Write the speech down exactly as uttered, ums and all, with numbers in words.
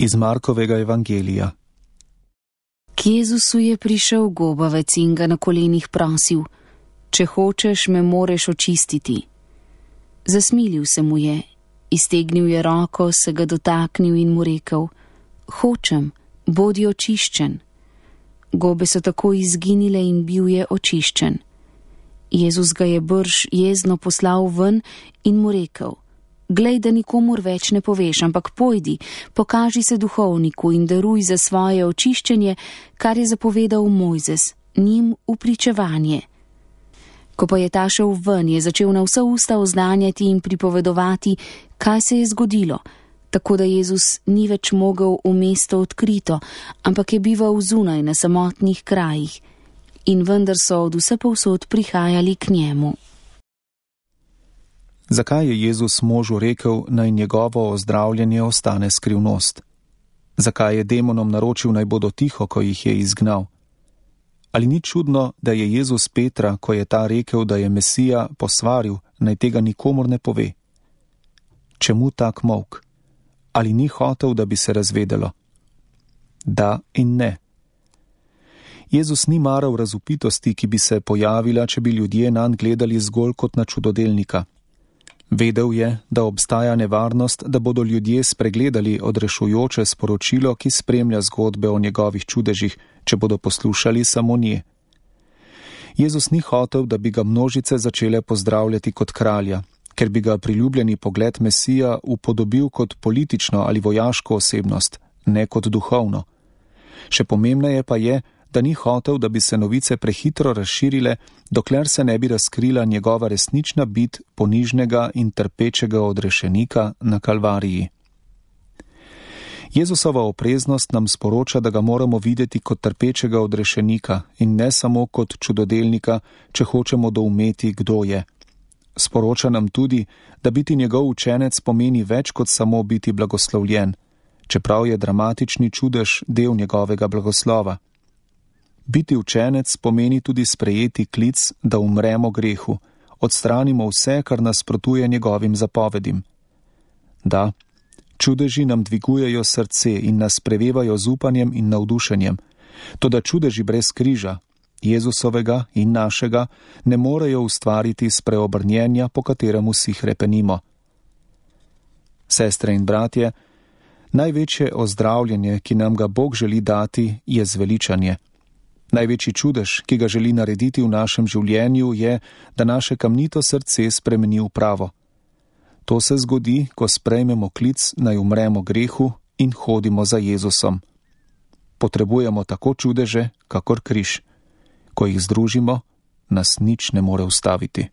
Iz Markovega evangelija. K Jezusu je prišel gobavec in ga na kolenih prosil: Če hočeš, me moreš očistiti. Zasmilil se mu je, iztegnil je roko, se ga dotaknil in mu rekel: Hočem, bodi očiščen. Gobe so tako izginile in bil je očiščen. Jezus ga je brž jezno poslal ven in mu rekel: Glej, da nikomur več ne poveš, ampak pojdi, pokaži se duhovniku in daruj za svoje očiščenje, kar je zapovedal Mojzes, njim v pričevanje. Ko pa je ta šel ven, je začel na vsa usta oznanjati in pripovedovati, kaj se je zgodilo, tako da Jezus ni več mogel v mesto odkrito, ampak je bival zunaj na samotnih krajih, in vendar so od vse povsod prihajali k njemu. Zakaj je Jezus možu rekel, naj njegovo ozdravljanje ostane skrivnost? Zakaj je demonom naročil, naj bodo tiho, ko jih je izgnal? Ali ni čudno, da je Jezus Petra, ko je ta rekel, da je Mesija, posvaril, naj tega nikomur ne pove? Čemu tak molk? Ali ni hotel, da bi se razvedelo? Da in ne. Jezus ni maral razvpitosti, ki bi se pojavila, če bi ljudje nanj gledali zgolj kot na čudodelnika. Vedel je, da obstaja nevarnost, da bodo ljudje spregledali odrešujoče sporočilo, ki spremlja zgodbe o njegovih čudežih, če bodo poslušali samo nje. Jezus ni hotel, da bi ga množice začele pozdravljati kot kralja, ker bi ga priljubljeni pogled Mesija upodobil kot politično ali vojaško osebnost, ne kot duhovno. Še pomembneje pa je, da ni hotel, da bi se novice prehitro razširile, dokler se ne bi razkrila njegova resnična bit ponižnega in trpečega odrešenika na Kalvariji. Jezusova opreznost nam sporoča, da ga moramo videti kot trpečega odrešenika in ne samo kot čudodelnika, če hočemo doumeti, kdo je. Sporoča nam tudi, da biti njegov učenec pomeni več kot samo biti blagoslovljen, čeprav je dramatični čudež del njegovega blagoslova. Biti učenec pomeni tudi sprejeti klic, da umremo grehu, odstranimo vse, kar nasprotuje njegovim zapovedim. Da, čudeži nam dvigujejo srce in nas prevevajo z upanjem in navdušenjem, toda čudeži brez križa, Jezusovega in našega, ne morejo ustvariti spreobrnjenja, po katerem vsi hrepenimo. Sestre in bratje, največje ozdravljenje, ki nam ga Bog želi dati, je zveličanje. Največji čudež, ki ga želi narediti v našem življenju, je, da naše kamnito srce spremeni v pravo. To se zgodi, ko sprejmemo klic, naj umremo grehu in hodimo za Jezusom. Potrebujemo tako čudeže, kakor križ. Ko jih združimo, nas nič ne more ustaviti.